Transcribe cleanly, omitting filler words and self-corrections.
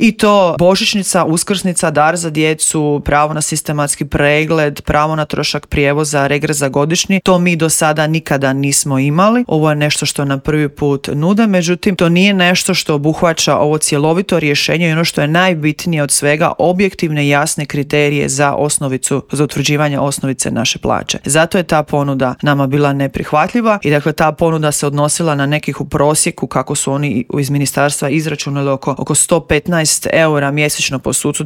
I to božićnica, uskrsnica, dar za djecu, pravo na sistematski pregled, pravo na trošak prijevoza, regres za godišnji. To mi do sada nikada nismo imali. Ovo je nešto što nam prvi put nude, međutim to nije nešto što obuhvaća ovo cjelovito rješenje i ono što je najbitnije od svega, objektivne i jasne kriterije za osnovicu, za utvrđivanje osnovice naše plaće. Zato je ta ponuda nama bila neprihvatljiva i dakle ta ponuda se odnosila na nekih u prosjeku, kako su oni iz ministarstva izračunali, oko 115 eura mjesečno po sucu.